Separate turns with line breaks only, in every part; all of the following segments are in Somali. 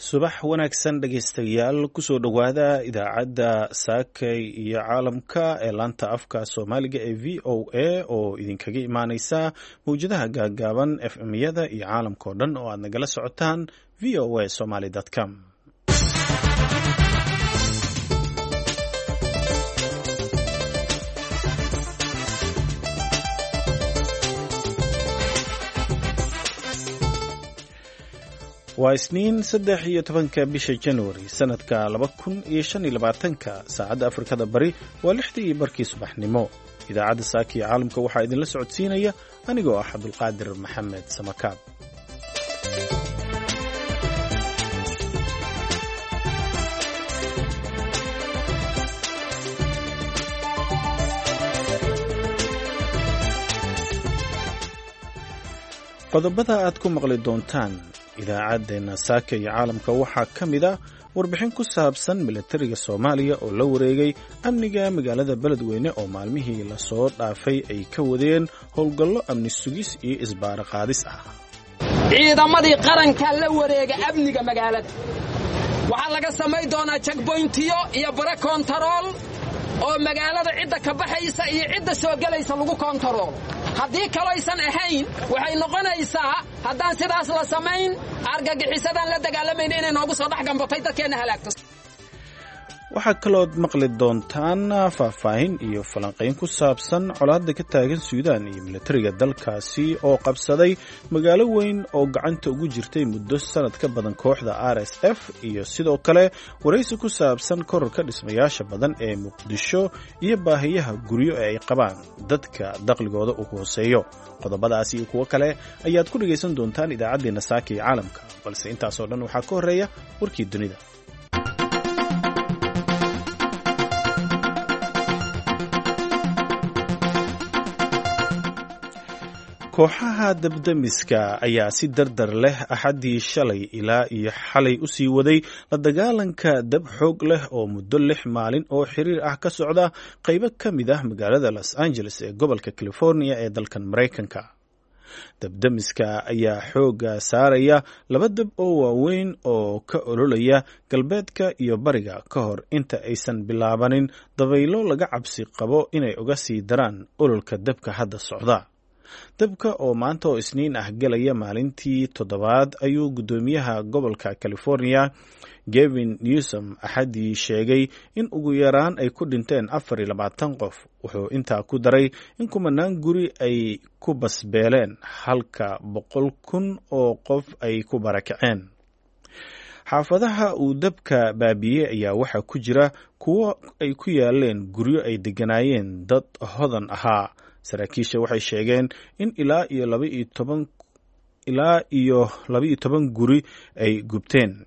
Subax wanaagsan dhegaystayaal, kusoo dhowaada idaacadda Saakay iyo Caalamka ee laanta afka Soomaaliga ee VOA oo idinkaga imaaneysa mawjadaha gaaggaaban, FM-yada iyo caalamka oo dhan oo aad nagala socotaan voasomaly.com. Waa Isniin, 13-ka bisha Januari, sanadka 2025-ka. Saacadda Afrikada Bari waa 6:30 subaxnimo. Idaacadda Saaka iyo Caalamka waxaa idinla socodsiinaya anigoo ah Cabdulqaadir Maxamed Samakaab. Qodobada aad ku maqli doontaan idaacaddeenna Saaka iyo Caalamka waxaa ka mid ah warbixin ku saabsan milatariga Soomaaliya oo la wareegay amniga magaalada Beledweyne oo maalmihii lasoo dhaafay ay ka wadeen howlgallo amni sugis iyo isbaaro qaadis ah.
Ciidamadii qarankaa la wareega amniga magaalada. Waxaa laga samayn doonaa jagboyntiyo iyo bare koontarool oo magaalada cidda ka baxaysa iyo cidda soo gelaysa lagu koontaroolo. Haddii kaloysan ahayn, waxay noqonaysaa haddaan sidaas la samayn, argagixisadaan la dagaalamayna inay noogu soo dhex gambatay, dadkeenna halaagto.
Waxaa kalood maqli doontaan faahfaahin iyo falanqayn ku saabsan colaadda ka taagan Suudaan iyo milatariga dalkaasi oo qabsaday magaalo weyn oo gacanta ugu jirtay muddo sanad ka badan kooxda RSF, iyo sidoo kale waraysi ku saabsan kororka dhismayaasha badan ee Muqdisho iyo baahiyaha guryo ee ay qabaan dadka dakhligooda uu hooseeyo. Qodobadaasi iyo kuwo kale ayaad ku dhegaysan doontaan idaacaddeenna Saaka iyo Caalamka, balse intaasoo dhan waxaa ka horreeya warkii dunida. Kooxaha dabdamiska ayaa si dardar leh Axaddii shalay ilaa iyo xalay u sii waday la dagaalanka dab xoog leh oo muddo 6 maalin oo xiriir ah ka socda qaybo ka mid ah magaalada Los Angeles ee gobolka California ee dalkan Maraykanka. Dabdamiska ayaa xoogga saaraya laba dab oo waaweyn oo ka ololaya galbeedka iyo bariga ka hor inta aysan bilaabanin dabaylo laga cabsi qabo inay uga sii daraan ololka dabka hadda socda. Dabka oo maanta oo Isniin ah galaya maalintii toddobaad ayuu guddoomiyaha gobolka California Gavin Newsom Axaddii sheegay in ugu yaraan ay ku dhinteen 24 qof. Wuxuu intaa ku daray in kumanaan guri ay ku basbeeleen, halka 100,000 oo qof ay ku barakaceen. Xaafadaha uu dabka baabiyey ayaa waxaa ku jira kuwo ay ku yaaleen guryo ay degganaayeen dad hodan ahaa. Saraakiisha waxay sheegeen in ilaa iyo 12 guri ay gubteen.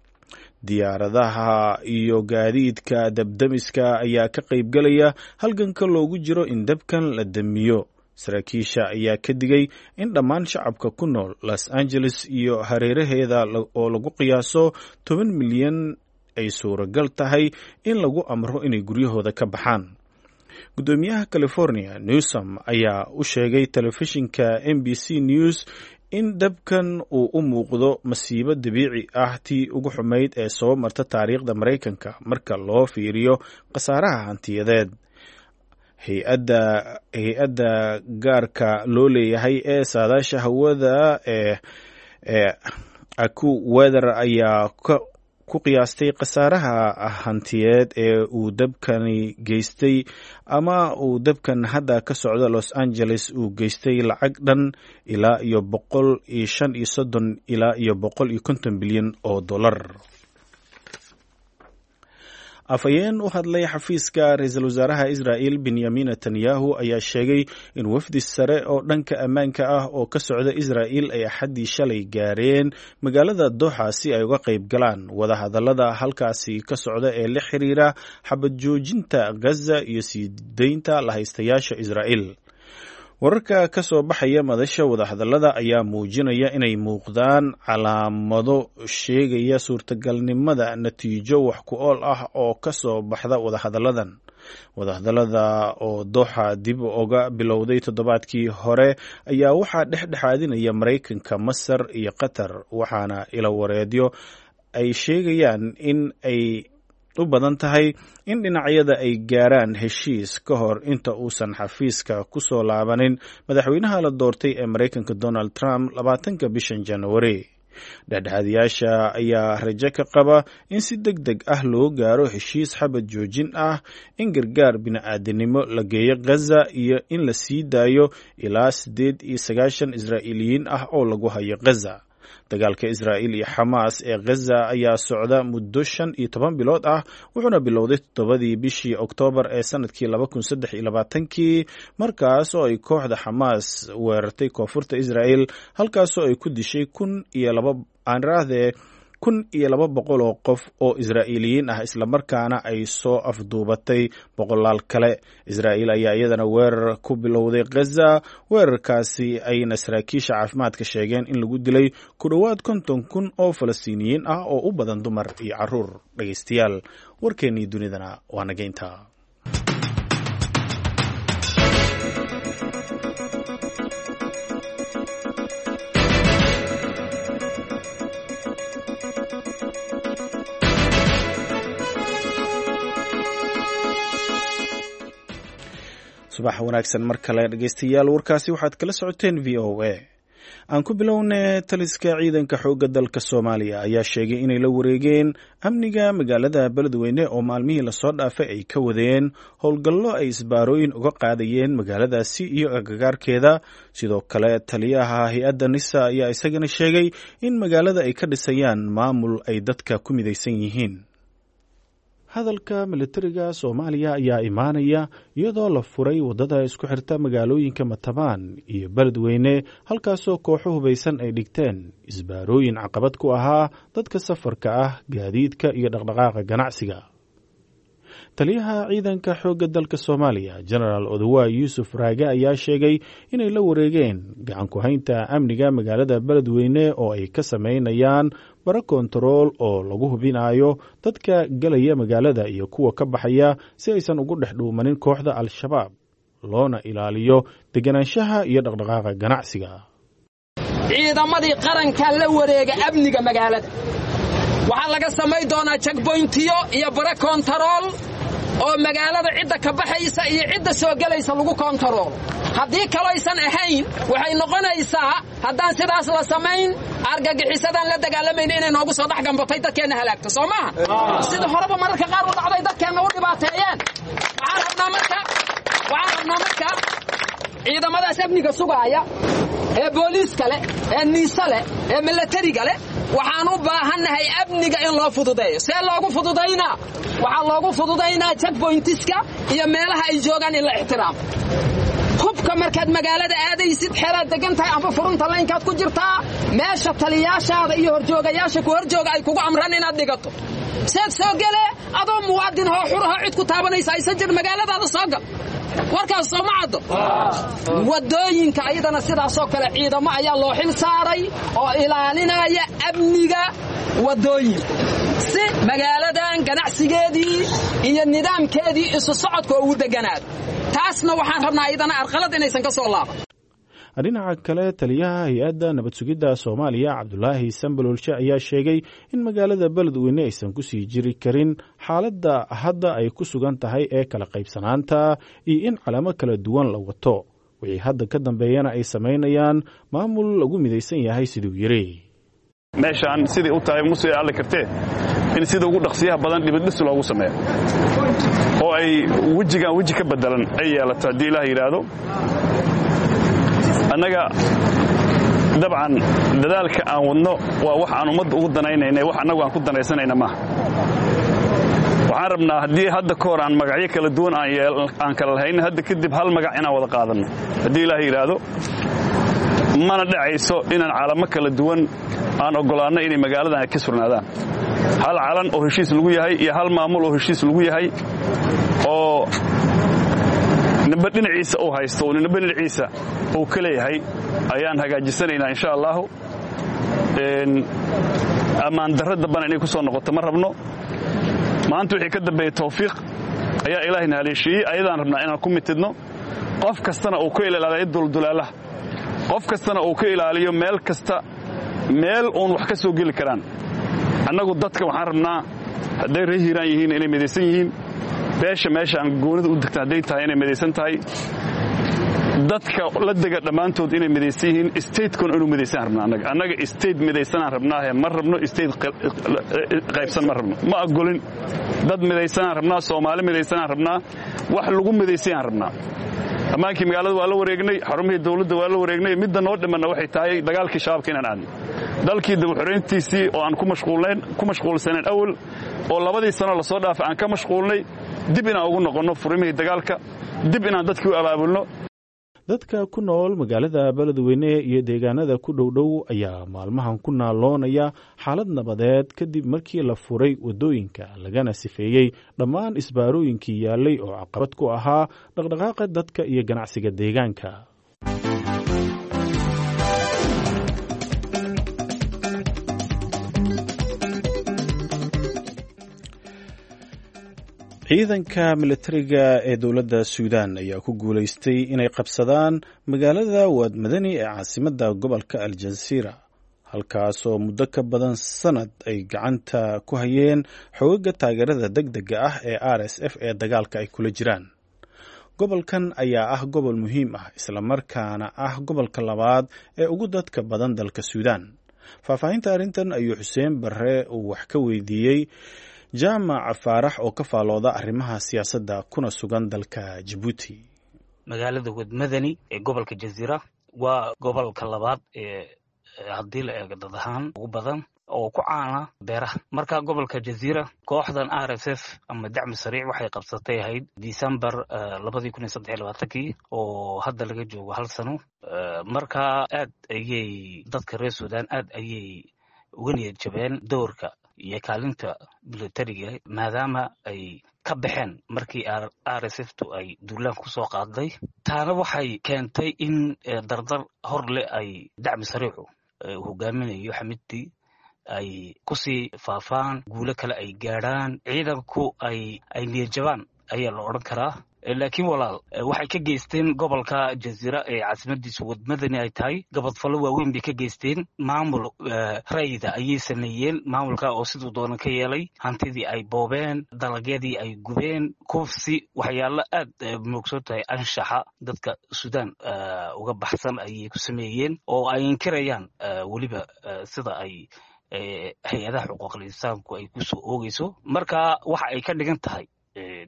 Diyaaradaha iyo gaadiidka dabdamiska ayaa ka qaybgalaya halganka loogu jiro in dabkan la damiyo. Saraakiisha ayaa ka digay in dhammaan shacabka ku nool Los Angeles iyo hareeraheeda oo lagu qiyaaso 10 milyan ay suuragal tahay in lagu amro inay guryahooda ka baxaan. Guddoomiyaha California Newsom ayaa u sheegay telefishinka NBC News in dabkan uu u muuqdo masiibo dabiici ah tii ugu xumayd ee soo marta taariikhda Maraykanka marka loo fiiriyo khasaaraha hantiyadeed. Hay-adda gaarka loo leeyahay ee saadaasha hawada ee AccuWeather ayaa ku qiyaastay khasaaraha hantiyeed ee uu dabkani geystay ama uu dabkan hadda ka socda Los Angeles uu geystay lacag dhan ilaa iyo 135 ilaa iyo 150 bilyan oo dollar. Afhayeen u hadlay xafiiska ra-iisul wasaaraha Israa'il Benyamin Netanyahu ayaa sheegay in wafdi sare oo dhanka ammaanka ah oo ka socda Israa'il ay Axaddii shalay gaareen magaalada Doxa si ay uga qayb galaan wadahadallada halkaasi ka socda ee la xiriira xabad joojinta Gaza iyo sii deynta lahaystayaasha Israa'il. Wararka ka soo baxaya madasha wadahadallada ayaa muujinaya inay muuqdaan calaamado sheegaya suurtagalnimada natiijo wax ku ool ah oo ka soo baxda wadahadalladan. Wadahadallada oo Doxa dib uga bilowday toddobaadkii hore ayaa waxaa dhexdhexaadinaya Maraykanka, Masar iyo Qatar, waxaana ilo wareedyo ay sheegayaan in ay u badan tahay in dhinacyada ay gaaraan heshiis ka hor inta uusan xafiiska ku soo laabanin madaxweynaha la doortay ee Maraykanka Donald Trump 20-ka bishan Januari. Dhexdhexaadiyaasha ayaa rajo ka qaba in si deg deg ah loo gaaro heshiis xabad joojin ah, in gargaar bini'aadanimo la geeyo Gaza iyo in la sii daayo ilaa 98 Israa'iiliyiin ah oo lagu hayo Gaza. Dagaalka Israa'iil iyo Xamaas ee Gaza ayaa socda muddo 15 bilood ah, wuxuuna bilowday 7dii bishii Oktoobar ee sanadkii 2023kii, markaas oo ay kooxda Xamaas weerartay koonfurta Israa'iil, halkaasoo ay ku dishay 1,200 oo qof oo Israa'iiliyiin ah, islamarkaana ay soo afduubatay boqolaal kale. Israa'iil ayaa iyadana weerar ku bilowday Gaza, weerarkaasi ayna saraakiisha caafimaadka sheegeen in lagu dilay ku dhowaad 50,000 oo Falastiiniyiin ah oo u badan dumar iyo caruur. Dhegeystayaal, warkeennii dunidana waa nageynta. Subax wanaagsan mar kale dhegeystayaal, warkaasi waxaad kala socoteen VOA. Aan ku bilowne, taliska ciidanka xoogga dalka Soomaaliya ayaa sheegay inay la wareegeen amniga magaalada Beledweyne oo maalmihii lasoo dhaafay ay ka wadeen howlgallo ay isbaarooyin uga qaadayeen magaaladaasi iyo agagaarkeeda. Sidoo kale taliyaha hay-adda NISA ayaa isagana sheegay in magaalada ay ka dhisayaan maamul ay dadka ku midaysan yihiin. Hadalka militariga Soomaaliya ayaa imaanaya iyadoo la furay waddada isku xirta magaalooyinka Matabaan iyo Beledweyne, halkaasoo kooxo hubaysan ay dhigteen isbaarooyin caqabad ku ahaa dadka safarka ah, gaadiidka iyo dhaqdhaqaaqa ganacsiga. Taliyaha ciidanka xoogga dalka Soomaaliya, Genaraal Odawa Yuusuf Raage, ayaa sheegay inay la wareegeen gacan ku-haynta amniga magaalada Beledweyne oo ay ka sameynayaan bara kontarool oo lagu hubinayo dadka gelaya magaalada iyo kuwa ka baxaya si aysan ugu dhex dhuumanin kooxda Al-Shabaab, loona ilaaliyo deganaanshaha iyo dhaqdhaqaaqa ganacsiga.
Ciidamadii qaranka la wareega amniga magaalada. Waxaa laga samay doonaa jagboyntiyo iyo bara kontarool oo magaalada cidda ka baxaysa iyo cidda soo gelaysa lagu kontaroolo. Haddii kaloysan ahayn, waxay noqonaysaa haddaan sidaas la samayn, argagixisadaan la dagaalamayna inay noogu soo dhex gambatay, dadkeenna halaagto. Soo maaha sida horeba mararka qaar u dhacday, dadkeenna u dhibaateeyeen? Waxaan rabnaa marka ciidamadaas amniga sugaaya ee booliiska leh, ee niise leh, ee milatariga leh, waxaan u baahannahay amniga in loo fududeeyo. See loogu fududaynaa? Waxaa loogu fududaynaa jagboyntiska iyo meelaha ay joogaan in la ixtiraamo. Hubka markaad magaalada aadaysid, xeelaad degan tahay amba furunta laynkaad ku jirtaa, meesha taliyaashaada iyo horjoogayaasha ku horjooga ay kugu amraan inaad dhigato. Seed soo gelee adoo muwaadin hoo xuraho, cid ku taabanaysa aysan jir, magaaladaada soo gal. Warkaas sooma caddo? Waddooyinka ayadana sidaasoo kale ciidamo ayaa loo xil saaray oo ilaalinaya amniga waddooyinka, si magaaladan ganacsigeedii iyo nidaamkeedii isu socodka ugu deganaado. Taasna waxaan rabnaa ayadana arqalad inaysan ka soo laaban.
Dhinaca kale, taliyaha hay-adda nabad sugidda Soomaaliya, Cabdulaahi Sambalolshe, ayaa sheegay in magaalada Beledweyne aysan kusii jiri karin xaaladda hadda ay ku sugan tahay ee kala qaybsanaanta iyo in calamo kala duwan la wato, wixii hadda ka dambeeyana ay samaynayaan maamul lagu midaysan yahay, siduu yidhi.
Meeshaan sidai u tahay musii alli kartee in sida ugu dhaqsiyaha badan dhibidhis loogu sameeyo oo ay wejigaan weji ka beddelan ay yeelato, haddii Ilaah yidhaahdo. Annaga dabcan dadaalka aan wadno waa wax aan ummadda ugu danaynayna, wax annagu aan ku danaysanayna maaha. Waxaan rabnaa haddii hadda ka hor aan magacyo kala duwan aan kala lahayn, hadda kadib hal magac inaan wada qaadanno, haddii Ilaah yidhaahdo. Mana dhacayso inaan calamo kala duwan aan oggolaanno inay magaaladan ay ka surnaadaan. Hal calan oo heshiis lagu yahay iyo hal maamul oo heshiis lagu yahay oo ninba dhinaciisa uu haysto oo ninba dhinaciisa uu ka leeyahay ayaan hagaajisanaynaa, insha allaahu. Ammaan darro dambana inay ku soo noqoto ma rabno. Maanta wixii ka dambeeyey tawfiiq ayaa Ilaahayna haleeshiiyey, ayadaan rabnaa inaan ku mitidno, qof kastana uu ka ilaaliyo duldulaalaha, qof kastana uu ka ilaaliyo meel kasta meel uun wax ka soo geli karaan. Annagu dadka waxaan rabnaa hadday reer Hiiraan yihiin inay midaysan yihiin, beesha meesha aan goonida u degta hadday tahay inay midaysan tahay, dadka la dega dhammaantood inay midaysan yihiin, statekuna inuu midaysan rabnaa. Annaga state midaysanaan rabnaahe, ma rabno state qaybsan, ma rabno, ma ogolin. Dad midaysanaan rabnaa, Soomaali midaysanaan rabnaa, wax lagu midaysanyaan rabnaa. Ammaankii magaalada waa la wareegnay, xarumihii dawladda waa la wareegnay. Midda noo dhimanna waxay tahay dagaalkii shabaabka inaan aadno, dalkii dabaxorayntiisii oo aan ku mashquulsanayn awal, oo 2dii sano lasoo dhaafay aan ka mashquulnay, dib inaan ugu noqonno furimihii dagaalka, dib inaan dadkii u abaabulno.
Dadka ku nool magaalada Beledweyne iyo deegaanada ku dhowdhow ayaa maalmahan ku naaloonaya xaalad nabadeed, kadib markii la furay waddooyinka lagana sifeeyey dhammaan isbaarooyinkii yaallay oo caqabad ku ahaa dhaqdhaqaaqa dadka iyo ganacsiga deegaanka. Ciidanka militariga ee dowladda Suudaan ayaa ku guulaystay inay qabsadaan magaalada Waadmadani ee caasimadda gobolka Aljasiira, halkaasoo muddo ka badan sanad ay gacanta ku hayeen xoogaga taageerada deg dega ah ee RSF ee dagaalka ay kula jiraan. Gobolkan ayaa ah gobol muhiim ah, islamarkaana ah gobolka labaad ee ugu dadka badan dalka Suudaan. Faahfaahinta arrintan ayuu Xuseen Barre uu wax ka weydiiyey Jaamac Faarax oo ka faalooda arrimaha siyaasadda kuna sugan dalka Jabuuti.
Magaalada Wadmadani ee gobolka Jaziira waa gobolka labaad ee haddii la eego dad ahaan ugu badan, oo ku caana beeraha. Marka gobolka Jaziira kooxdan RSF ama Dacmi Sariic waxay qabsatay ahayd December 2023-kii, oo hadda laga joogo hal sano. Marka aad ayay dadka reer Sudan aad ayay uga niyad jabeen doorka iyo kaalinta militariga, maadaama ay ka baxeen markii RSF tu ay duulaan kusoo qaaday. Taana waxay keentay in dardar hor leh ay Dacmi Sariicu hogaaminayo Xamidtii ay kusii faafaan, guulo kale ay gaadhaan, ciidanku ay niyadjabaan ayaa la odhan karaa. Laakiin walaal, waxay ka geysteen gobolka Jaziira ee caasimadiisu Wadmadani ay tahay gabadfallo waaweyn bay ka geysteen. Maamul rayida ayay sameeyeen, maamulka oo siduu doonan ka yeelay, hantidii ay boobeen, dalagyadii ay gubeen, kufsi, waxyaalo aad moogsoon tahay anshaxa dadka Suudaan uga baxsan ayay ku sameeyeen, oo ay inkirayaan weliba sida ay hay-adaha xuquuqul insaanku ay kusoo oogeyso. Marka waxa ay ka dhigan tahay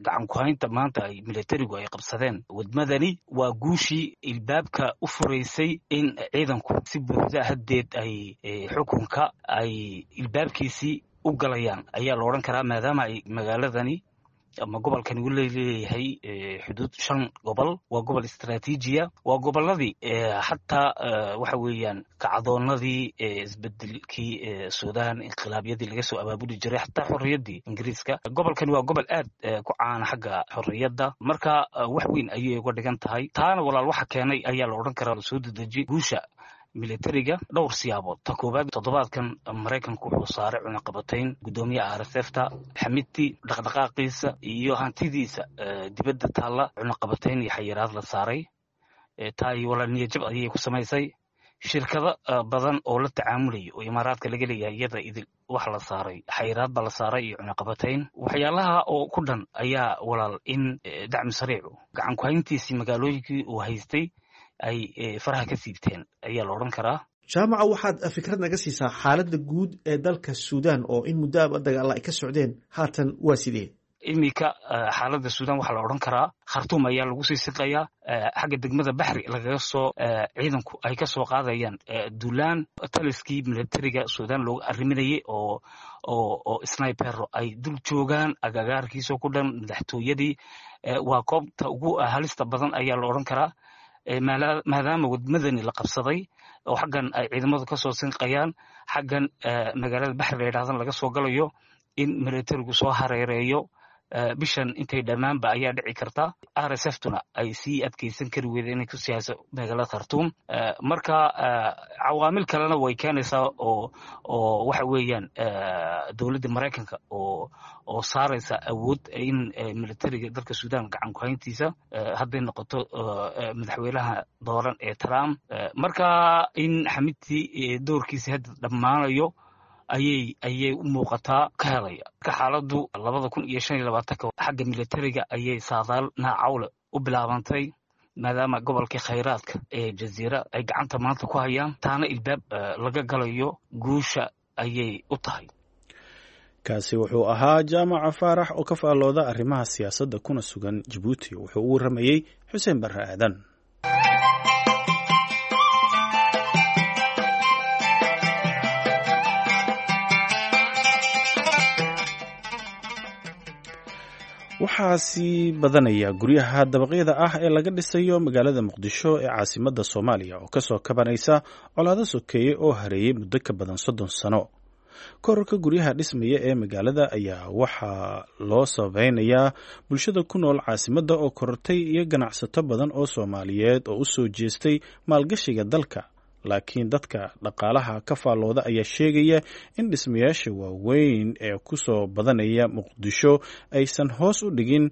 gacan ku-haynta maanta ay militarigu ay qabsadeen Wadmadani waa guushii ilbaabka u furaysay in ciidanku si buuxda haddeed ay xukunka ay ilbaabkiisii u galayaan ayaa la odhan karaa, maadaama ay magaaladani ama gobolkani uu leeyahay xuduud shan gobol. Waa gobol istraatiijiya, waa goboladii xataa waxa weeyaan kacdoonadii isbedelkii Sudan, inqilaabyadii laga soo abaabuli jiray, xataa xorriyaddii Ingiriiska. Gobolkani waa gobol aad ku caana xagga xorriyadda. Marka wax weyn ayay uga dhigan tahay. Taana walaal waxa keenay ayaa la odhan karaa soo dedeji guusha militariga dhowr siyaabood. Ta koowaad, toddobaadkan Maraykanku wuxuu saaray cunaqabatayn guddoomiyaha RSF ta Xamidti, dhaqdhaqaaqiisa iyo hantidiisa dibadda taalla cunaqabatayn iyo xayiraad la saaray. Taay walaal niyajab ayay ku samaysay shirkado badan oo la tacaamulaya oo Imaaraadka laga leeyahay, iyada idil wax la saaray xayiraad baa la saaray iyo cunaqabatayn. Waxyaalaha oo ku dhan ayaa walaal in Dacmi Sariicu gacan ku-hayntiisii magaalooyinkii uu haystay ay faraha ka siibteen ayaa la odhan karaa.
Jaamaca, waxaad fikrad naga siisaa xaaladda guud ee dalka Suudaan oo in muddoaba dagaalla ay ka socdeen, haatan waa sidee?
Iminka xaaladda Suudaan waxaa la odhan karaa Khartuum ayaa lagu sii siqayaa, xagga degmada Baxri lagaga soo ciidanku ay ka soo qaadayaan duulaan. Taliskii militariga Suudaan looga arriminayay oo snipero ay dul joogaan agagaarkiisoo ku dhan madaxtooyadii waa koobta ugu halista badan ayaa la odhan karaa, maadaama Wadmadani la qabsaday oo xaggan ay ciidamadu ka soo sinqayaan, xaggan magaalada Baxri la yidhahdan laga soo galayo. In militarigu soo hareereeyo bishan intay dhammaanba ayaa dhici karta, RSF tuna ay sii adkeysan kari weyda inay ku sii hayso magaalada Khartuum. Marka cawaamil kalena way keenaysaa oo waxa weeyaan dowladda Maraykanka oo saaraysa awood in militariga dalka Suudaan gacan ku-hayntiisa hadday noqoto madaxweynaha dooran ee Trump. Marka in Xamidtii doorkiisa hadda dhammaanayo Ayay u muuqataa ka helaya. Marka xaaladdu 2025-ka xagga militariga ayay saadaal naacawle u bilaabantay, maadaama gobolkii khayraadka ee Jaziira ay gacanta maanta ku hayaan, taana ilbaab laga galayo guusha ayay u tahay.
Kaasi wuxuu ahaa Jaamaca Faarax oo ka faallooda arrimaha siyaasadda kuna sugan Jabuuti. Wuxuu u warramayey Xuseen Barre Aadan. Waxaa sii badanaya guryaha dabaqyada ah ee laga dhisayo magaalada Muqdisho ee caasimadda Soomaaliya, oo kasoo kabanaysa colaado sokeeye oo hareeyey muddo ka badan 30 sano. Korarka guryaha dhismaya ee magaalada ayaa waxaa loo sababeynayaa bulshada ku nool caasimadda oo korortay iyo ganacsato badan oo Soomaaliyeed oo u soo jeestay maalgashiga dalka. Laakiin dadka dhaqaalaha ka faallooda ayaa sheegaya in dhismayaasha waaweyn ee ku soo badanaya Muqdisho aysan hoos u dhigin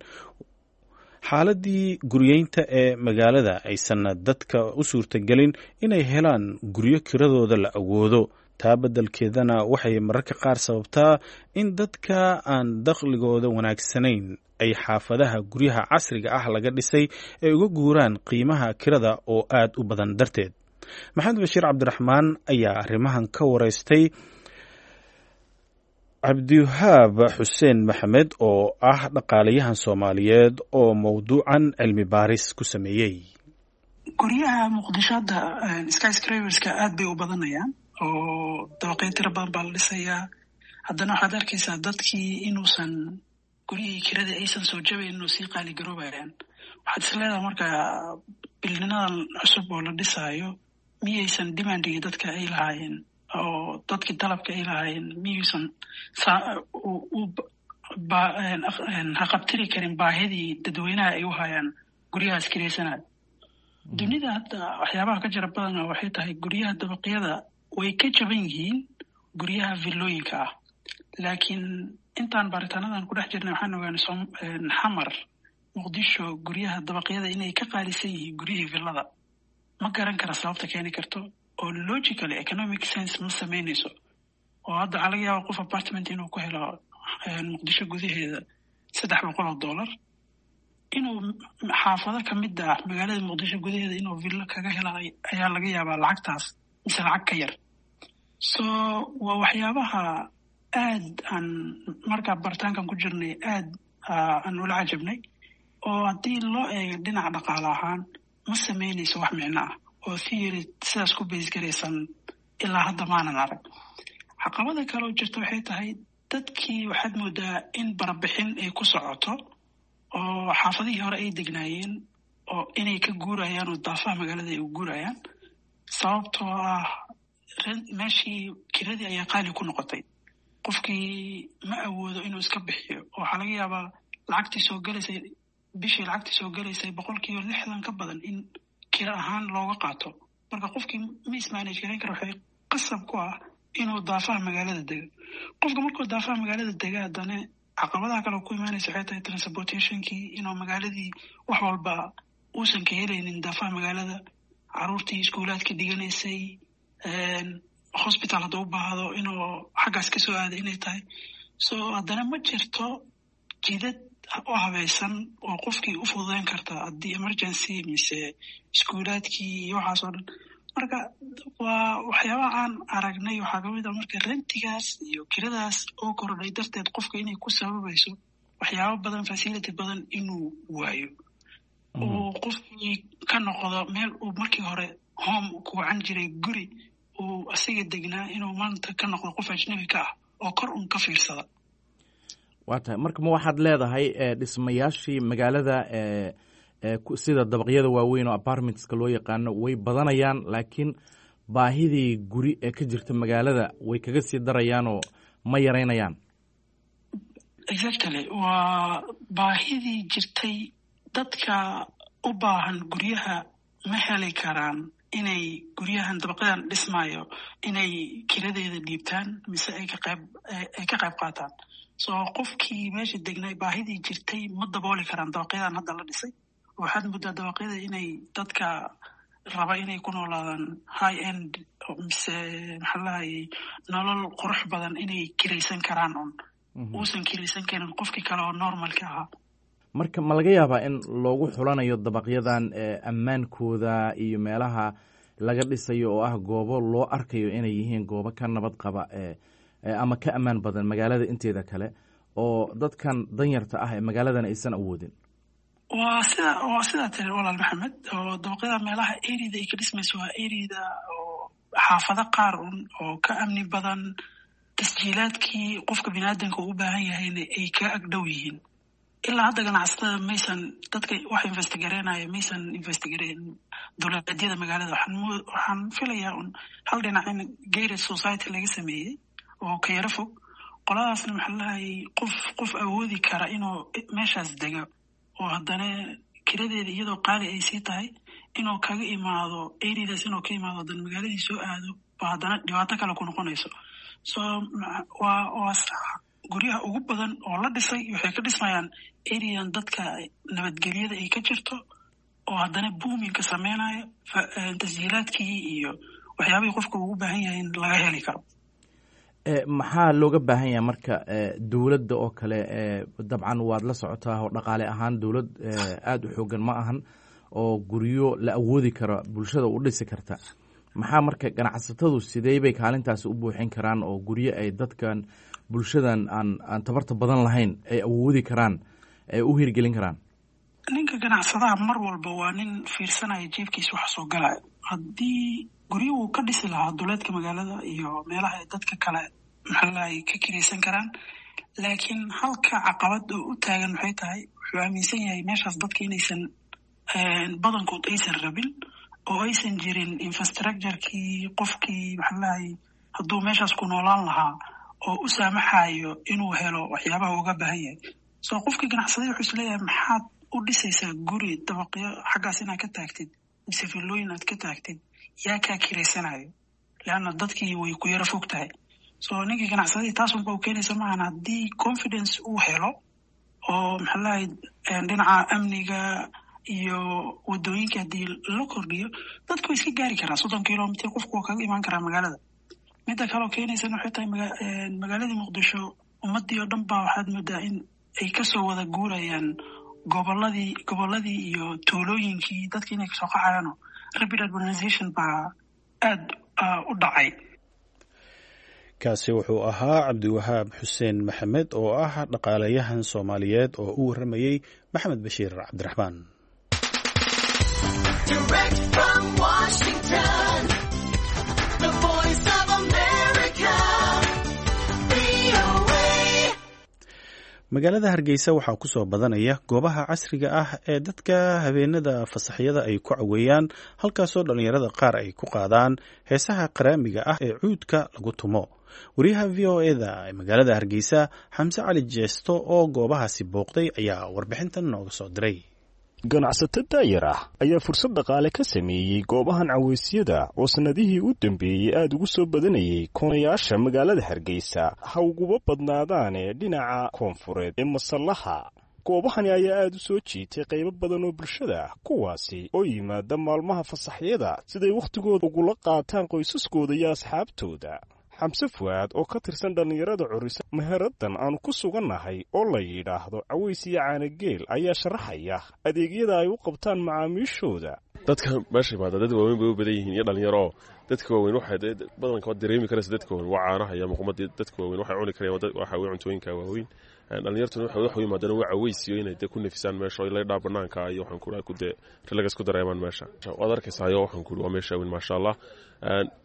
xaaladii guryeynta ee magaalada, aysanna dadka u suurtagelin inay helaan guryo kiradooda la awoodo. Taa beddelkeedana waxay mararka qaar sababtaa in dadka aan dakhligooda wanaagsanayn ay xaafadaha guryaha casriga ah laga dhisay ay uga guuraan qiimaha kirada oo aad u badan darteed. Maxamed Bashiir Cabdiraxmaan ayaa arrimahan ka wareystay Cabdiwahaab Xuseen Maxamed oo ah dhaqaalayahan Soomaaliyeed oo mowduucan cilmi baaris ku sameeyey.
Guryaha Muqdisho hadda skyscraperska aad bay u badanayaan oo dabaqyo tiro badan baa la dhisayaa. Haddana waxaad arkaysaa dadkii inuusan guryihii kirada aysan soo jabayn oo sii qaaligaroobayaan. Waxaad is leedahay marka bilninadan cusub oo la dhisaayo miyaysan demandigii dadka ay lahaayeen oo dadkii dalabka ay lahaayeen miyaysan haqabtiri karin baahidii dadweynaha ay u hayaan guryahaas kiraysanaya. Dunida hadda waxyaabaha ka jira badana waxay tahay guryaha dabaqyada way ka jaban yihiin guryaha villooyinka ah, laakiin intaan baaritaanadan ku dhex jirnay waxaan ogaanay Xamar, Muqdisho, guryaha dabaqyada inay ka qaalisan yihiin guryihii villada. Ma garan kara sababta keeni karto, oo logically economic sense ma samaynayso, oo hadda waxaa laga yaaba qof apartment inuu ku helo Muqdisho gudaheeda $300, inuu xaafado kamid ah magaalada Muqdisho gudaheeda inuu villo kaga hela ayaa laga yaabaa lacagtaas mise lacag ka yar. So waa waxyaabaha aad aan markaa baritaankan ku jirnay aad aan ula cajabnay, oo haddii loo eego dhinaca dhaqaale ahaan ma samaynayso wax micno ah oo theory sidaas ku baysgaraysan ilaa hadda maanan arag. Caqabada kale oo jirta waxay tahay dadkii waxaad moodaa in barabixin ay ku socoto oo xaafadihii hore ay degnaayeen oo inay ka guurayaan oo daafaha magaalada ay u guurayaan, sababtoo ah meeshii kiradii ayaa qaali ku noqotay. Qofkii ma awoodo inuu iska bixiyo, oo waxaa laga yaabaa lacagtii soo galaysay bishii, lacagtii soo galaysay 60% ka badan in kira ahaan looga qaato. Marka qofkii ma ismanage garayn kara, waxay qasab ku ah inuu daafaha magaalada dego. Qofka markuu daafaha magaalada dega, haddana caqabadaha kale ku imaanaysa waxay tahay transportationkii, inuu magaaladii wax walba uusan ka helaynin daafaha magaalada, caruurtii iskuulaadka dhiganaysay, hospital hadduu u baahdo inuu xaggaas kasoo aado inay tahay. So haddana ma jirto jidad u habaysan oo qofkii u fududeyn karta haddii emergency mise iskuulaadkii iyo waxaas oo dhan. Marka waa waxyaabaha aan aragnay waxaa kamid ah marka rentigaas iyo kiradaas oo kordhay darteed qofka inay ku sababayso waxyaabo badan, facility badan inuu waayo, uu qofkii ka noqdo meel uu markii hore home ku wacan jiray, guri uu asiga degnaa, inuu maanta ka noqdo qof ajnabi ka ah oo kor un ka fiirsada.
Waa tahay. Marka ma waxaad leedahay dhismayaashii magaalada sida dabaqyada waaweyn oo apartmentska loo yaqaano way badanayaan, laakiin baahidii guri ee ka jirta magaalada way kaga sii darayaanoo ma yaraynayaan?
Exactly, waa baahidii jirtay. Dadka u baahan guryaha ma heli karaan inay guryahan dabaqyadan dhismaayo inay kiradeeda dhiibtaan mise ay ka qayb qaataan. So qofkii meesha degnay baahidii jirtay ma dabooli karaan dabaqyadan hadda la dhisay. Waxaad muddaa dabaqyada inay dadka raba inay ku noolaadaan high end mise maxaa lahayay nolol qurux badan inay kiraysan karaan un uusan kiraysan karin qofkii kale oo normalka ahaa.
Marka ma laga yaabaa in loogu xulanayo dabaqyadan ammaankooda iyo meelaha laga dhisayo oo ah goobo loo arkayo inay yihiin goobo ka nabad qaba ama ka ammaan badan magaalada inteeda kale, oo dadkan danyarta ah ee magaaladan aysan awoodin?
Waa sidaa tiri, walaal Maxamed, oo dabaqyada meelaha areada ay ka dhismayso waa areada oo xaafado qaar un oo ka amni badan, tasjiilaadkii qofka biniaadanka uu u baahan yahayna ay ka agdhow yihiin. Ilaa hadda ganacsatada maysan, dadka wax investigareynaya maysan investigareyn duleedyada magaalada. Waxaan filayaa un hal dhinac in gated society laga sameeyey oo ka yaro fog qoladaasna, maxaa lahayay, qof awoodi kara inuu meeshaas dego oo haddana kiradeeda iyadoo qaali ay sii tahay inuu kaga imaado areadaas, inuu ka imaado haddana magaaladii soo aado, ba haddana dhibaato kale ku noqonayso. So waa sax, guryaha ugu badan oo la dhisay waxay ka dhismayaan areadan dadka nabadgelyada ay ka jirto oo haddana boomingka sameynayo, tasjiilaadkii iyo waxyaabihii qofka ugu baahan yahay in laga heli karo.
Maxaa looga baahan yahay marka dowladda oo kale? Dabcan waad la socotaa oo dhaqaale ahaan dowlad aada u xoogan ma ahan oo guryo la awoodi karo bulshada u dhisi karta. Maxaa marka ganacsatadu sidee bay kaalintaasi u buuxin karaan oo guryo ay dadkan bulshadan aan tabarta badan lahayn ay awoodi karaan ay u hirgelin karaan?
Ninka ganacsadaha mar walba waa nin fiirsanaya jeebkiisa waxa soo galaya. Haddii guryo wuu ka dhisi lahaa duleedka magaalada iyo meelaha ay dadka kale, maxaa lahay, ka kiraysan karaan, laakiin halka caqabad oo u taagan maxay tahay? Wuxuu aaminsan yahay meeshaas dadka inaysan badankood aysan rabin oo aysan jirin infrastructurekii qofkii, maxaa lahay, hadduu meeshaas ku noolaan lahaa oo u saamaxayo inuu helo waxyaabaha uga baahan yahay. So qofkii ganacsaday wuxuu isleeyahay, maxaad u dhisaysaa guri dabaqyo xaggaas inaad ka taagtid mise villooyin aad ka taagtid? Yaa kaa kiraysanayo? Leanna dadkii way ku yaro fog tahay. So ninkii ganacsadadii taas unba u keenaysa maahan. Haddii confidence uu helo oo, maxaa lahay, dhinaca amniga iyo wadooyinka haddii la kordhiyo, dadku way iska gaari karaa. 30 kilomitr qofku waa kaga imaan karaa magaalada. Midda kaleo keenaysana waxay tahay magaaladii Muqdisho ummadii oo dhan baa waxaad moodaa in ay kasoo wada guurayaan gobolladii iyo tuulooyinkii, dadki inay kasoo qaxayaano. Rapid urbanization baa aada u dhacay.
Kaasi wuxuu ahaa Cabdiwahaab Xuseen Maxamed oo ah dhaqaalayahan Soomaaliyeed oo u warramayey Maxamed Bashiir Cabdiraxmaan.
Direct from Washington, the Voice of America, VOA.
Magaalada Hargeysa waxaa ku soo badanaya goobaha casriga ah ee dadka habeenada fasaxyada ay ku caweeyaan, halkaasoo dhallinyarada qaar ay ku qaadaan heesaha qaraamiga ah ee cuudka lagu tumo. Wariyaha VOA-da ee magaalada Hargeysa, Xamse Cali Jeesto, oo goobahaasi booqday ayaa warbixintan nooga soo diray.
Ganacsato daayar ah ayaa fursad dhaqaale ka sameeyey goobahan caweysyada oo sannadihii u dambeeyey aada ugu soo badanayay koonayaasha magaalada Hargeysa, ha uguba badnaadaane dhinaca koonfureed ee Masallaha. Goobahani ayaa aada u soo jiitay qaybo badan oo bulshada ah, kuwaasi oo yimaada maalmaha fasaxyada siday wakhtigooda ugula qaataan qoysaskooda iyo asxaabtooda. Xamse Fuaad oo ka tirsan dhallinyarada curisa meheraddan aanu ku sugannahay oo la yidhaahdo Caways iyo Caanageel ayaa sharaxaya adeegyada ay u qabtaan macaamiishooda.
Dadka meesha imaada dad waaweyn bay u badan yihiin iyo dhalinyaro. Dadka waaweyn waxay badanka waad dareemi karaysa, dadka waaweyn waa caanaha iyo muqmadii. Dadka waaweyn waxay cuni karayaan waxa weeye cuntooyinka waaweyn. Dhalinyartuna waxay wax u yimaadaan waa caweysiyo inay dee ku nafisaan meesha oo laydhaa banaanka iyo waxaan ku ku dee relax ku dareemaan meesha. Waad arkaysaa, waxaan ku waa meesha weyn, maasha Allah.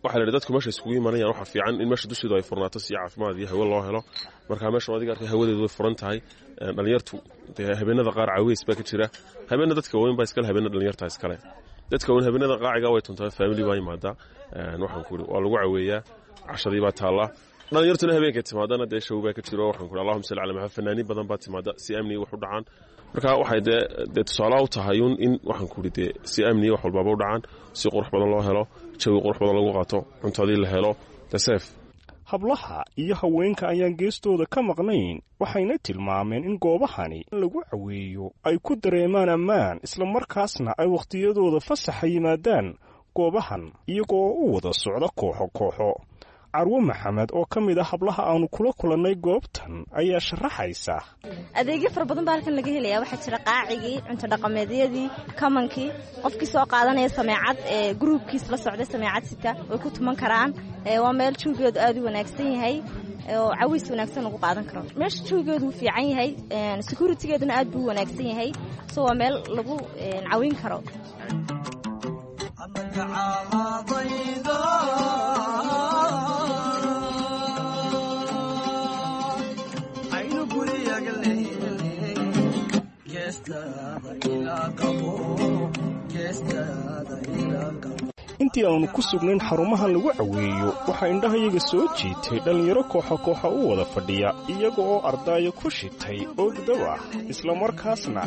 Waxaa la yidhi dadku meesha isugu imanayaan waxaa fiican in meesha dusheedu ay furnaato si caafimaad iyo hawo loo helo. Marka meesha adiga arkay hawadeedu way furan tahay. Dhalinyartu dee habeenada qaar caweys baa ka jira, habeena dadka waaweyn baa iskale, habeena dhalinyarta iskale. Dadka waaweyn habeenada qaaciga way tuntaa, family baa yimaada, waxaan ku waa lagu caweeyaa, cashadii baa taallaa. Dhalinyartuna habeenkay timaadana dee show baa ka jiro, waxaan ku allahumma salli ala Maxamed, fanaaniin badan baa timaada si amni wax u dhacaan. Marka waxay dee tusaale u tahay un in waxaan ku dee si amni wax walbaaba u dhacaan, si qurux badan loo helo, jawi qurux badan lagu qaato, cuntadii la helo, safe.
Hablaha iyo haweenka ayaan geestooda ka maqnayn, waxayna tilmaameen in goobahani lagu caweeyo ay ku dareemaan ammaan, islamarkaasna ay wakhtiyadooda fasaxa yimaadaan. Goobahan iyagoo u wada socda kooxo kooxo. Carwo Maxamed oo ka mid ah hablaha aanu kula kulannay goobtan ayaa sharaxaysa.
Adeegyo fara badan baa halkan laga helaya. Waxaa jira qaacigii, cunto dhaqameedyadii, kamankii, qofkii soo qaadanaya sameecad ee gruubkiis la socday, sameecad sita way ku tuman karaan. Waa meel jawigeedu aad u wanaagsan yahay oo cawiis wanaagsan lagu qaadan karo. Meesha jawigeedu wuu fiican yahay, securitygeeduna aad buu u wanaagsan yahay, so waa meel lagu cawin karo.
Intii aanu ku sugnayn xarumahan lagu caweeyo, waxaa indhahayaga soo jiitay dhallinyaro kooxa kooxa u wada fadhiya, iyaga oo ardaayo ku shitay oogdab ah, islamarkaasna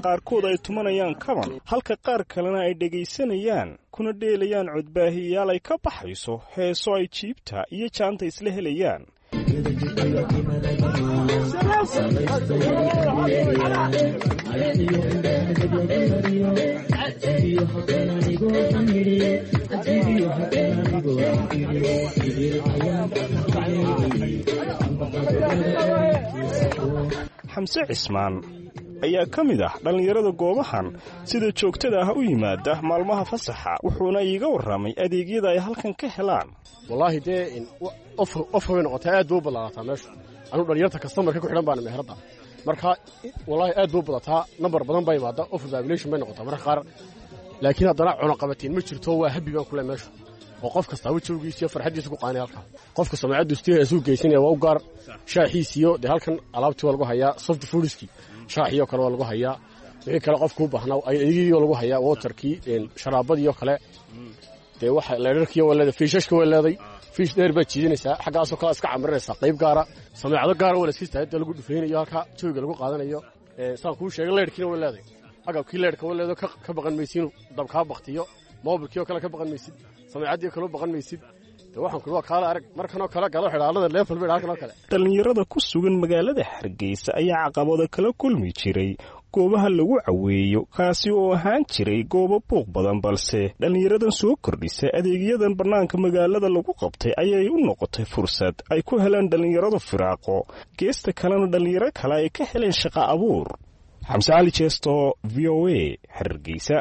qaarkood ay tumanayaan kaban, halka qaar kalena ay dhegaysanayaan kuna dheelayaan codbaahiyayaal ay ka baxayso heeso ay jiibta iyo jaanta isla helayaan. Xamse Cismaan ayaa ka mid ah dhallinyarada goobahan sida joogtada ah u yimaada maalmaha fasaxa, wuxuuna iiga warramay adeegyada ay halkan ka helaan.
Wallaahi dee of way noqotaa, aad buu u ballaarataa meeshu. Anugu dhalinyarta kastamarka ku xidhan baana meherada. Marka wallaahi aad buu u badataa, nambar badan baa imaada, over population bay noqotaa marka qaar, laakiin haddana cunaqabatiin ma jirto. Waa happy baan kule meeshu, oo qof kastaaba jawgiisa iyo farxaddiisa ku qaanay halkaa. Qofka samacaddu istiha isuu geysanaya waa u gaar shaaxiisiyo. Dee halkan alaabtii waa lagu hayaa, soft foodskii, shaaxiyo kale waa lagu hayaa, wixii kale qofku u baahnaa adeegiyo lagu hayaa, waterkii, sharaabadiyo kale. Dee waxa leerarkiyo waa leeday, fiishashka waa leeday, fiish dheer baad jiidanaysaa, xaggaasoo kale iska camirinaysaa, qayb gaara, sameecado gaara waa la iska istaagay lagu dhufaynayo halka jawiga lagu qaadanayo. Saan kuu sheegay, leerhkiina waa leeday, agabkii leerhka waa leedo, ka baqan maysid inuu dab kaa baktiyo, moobilkii oo kale ka baqan maysid, sameecaddii kale u baqan maysid. Dee waxaan kuli waa kaala arag markanoo kale galo xidhaalada leefal bay halkan oo kale.
Dhallinyarada ku sugan magaalada Hargeysa ayaa caqabado kala kulmi jiray goobaha lagu caweeyo, kaasi oo ahaan jiray goobo buuq badan, balse dhallinyaradan soo kordhisa adeegyadan bannaanka magaalada lagu qabtay ayay u noqotay fursad ay ku helaan dhallinyaradu firaaqo, geesta kalena dhallinyaro kale ay ka heleen shaqa abuur. Xamse Cali Jeesto, VOA, Hargeysa.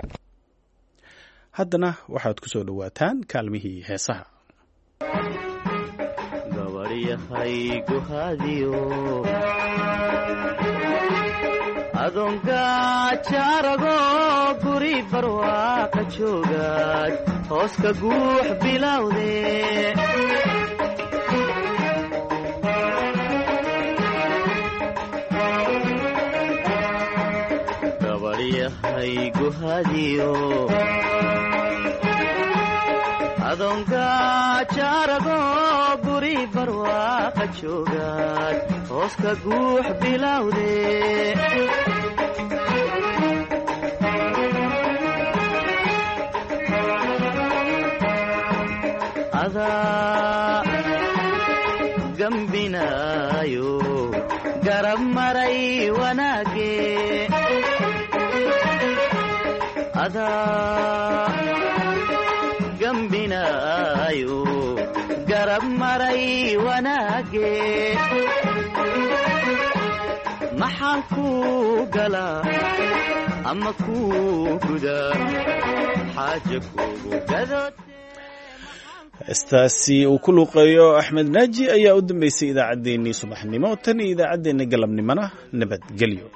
Haddana waxaad ku soo dhowaataan kaalmihii heesaha.
Adoongajaarago guri barwaaqa joogaad hooska guux bilowde. Gabaryahay guhadiyo adoongajaarago guri barwaaqa joogaad hooska guux bilowde. Adaa gambinaayo garab maray wanaage, adaa gambinaayo garab maray wanaage. Maxaan kuu galaa ama kuu gudaa xaaja kugu gadood?
Heestaasi uu ku luuqeeyo Axmed Naaji ayaa u dambeysay idaacaddeenii subaxnimo. Tan iyo idaacaddeenna galabnimona, nabadgelyo.